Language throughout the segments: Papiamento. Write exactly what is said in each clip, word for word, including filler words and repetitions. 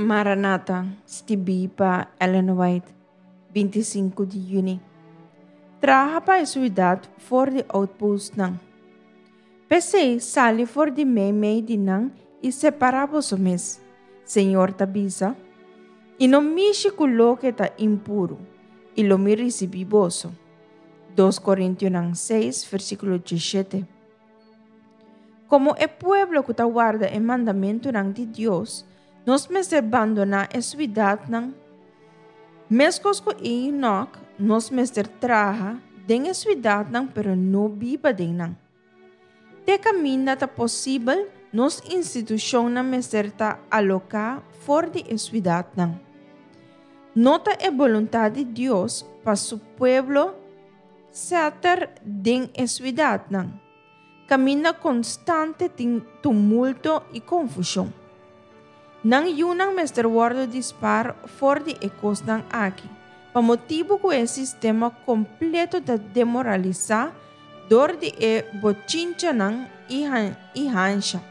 Maranata, skibí pa Ellen White, binti sinku di yüni. Traha pa e siudat for di outpostnan. P'esei, sali for di meimei di nan i separá boso mes, Señor ta bisa, i no mishi ku loke ta impuru, i lo mi risibí boso. Dos Korintionan seis, versíkulo diesshete. Komo e pueblo ku ta warda e mandamentunan di Dios, nos mester bandoná e siudatnan. Meskos ku Enoch, nos mester traha den e siudatnan pero no biba den nan. Te kaminda ta posibel, nos institushonnan mester ta aloká for di e siudatnan. No ta e boluntat di Dios pa su pueblo seter den e siudatnan, kaminda konstante tin tumulto i konfushon. Nan yunan mester wòrdu di spar for di e kosnan aki, pa motibu ku e sistema kompleto ta demoralisá dor di e bochinchanan i hansha.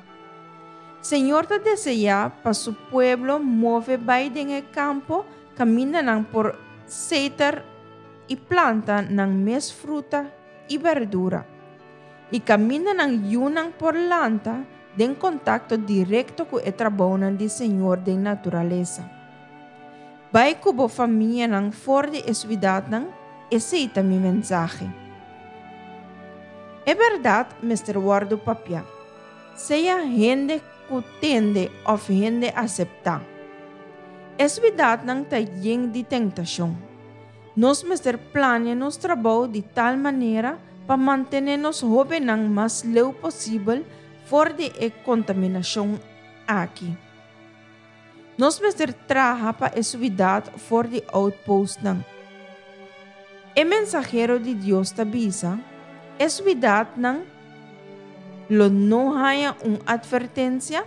Señor ta deseá pa su pueblo move bai den e kampo kaminda nan por seter i planta nan mes fruta i berdura, i kaminda nan yunan por lanta den kontakto direkto ku e trabounan di Señor den naturalesa. Bai ku bo famianan for di e siudatnan, esei ta mi mensahe. E bèrdat mester wòrdu papiá, sea hende ku tende òf hende aseptá. E siudatnan ta yen di tentashon. Nos mester plania nos trabou di tal manera pa mantené nos hóbennan mas leu posibel for di e kontaminashon aki. Nos mester traha pa e siudat for di outpostnan. E mensahero di Dios ta bisa, e siudatnan lo no haña un atvertensia?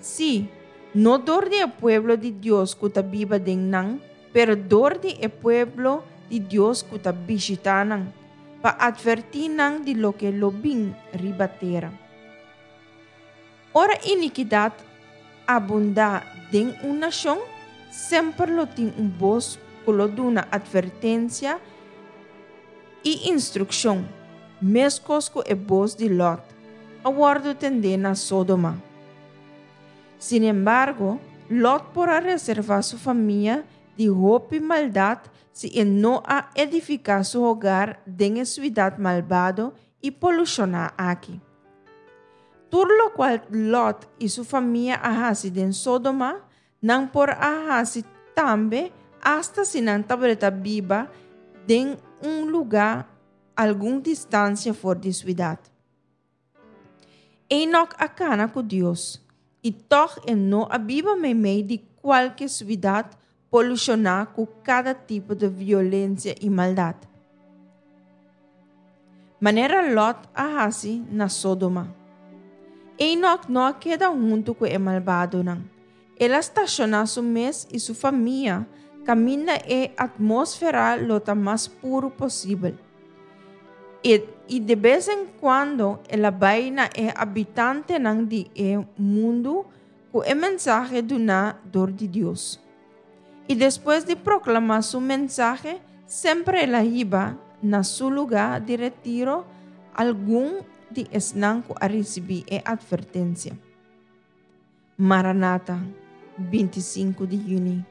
Sí, no dor di e pueblo di Dios ku ta biba den nan, pero dor di e pueblo di Dios ku ta bishitá nan, pa atvertí nan di loke lo bin riba tera. Ora inikidat abundá den un nashon, semper lo tin un bos ku lo duna atvertensia i instrukshon, meskos ku e bos di Lòt a wòrdu tendé na Sodoma. Sinembargo, Lòt por a reservá su famia di hopi maldat si e no a edifiká su hogar den e siudat malbado i polushoná aki. Tur lokual Lòt i su famia a hasi den Sodoma, nan por a hasi tambe asta si nan tabata biba den un lugá algun distansia for di siudat. Enoch a kana ku Dios, i tòg e no a biba meimei di kualke siudat polushoná ku kada tipo di violensia i maldat, manera Lòt a hasi na Sodoma. Enoch no a keda huntu ku e malbadonan. El a stashoná su mes i su famia kaminda e atmósfera lo ta mas puru posibel. I, i de bes en kuando el a bai na e habitantenan di e mundu ku e mensahe duná dor di Dios. I despues di proklamá su mensahe, semper el a hiba na su lugá di retiro algun di esnan ku a risibí e atvertensia. Maranata, binti sinku di yüni.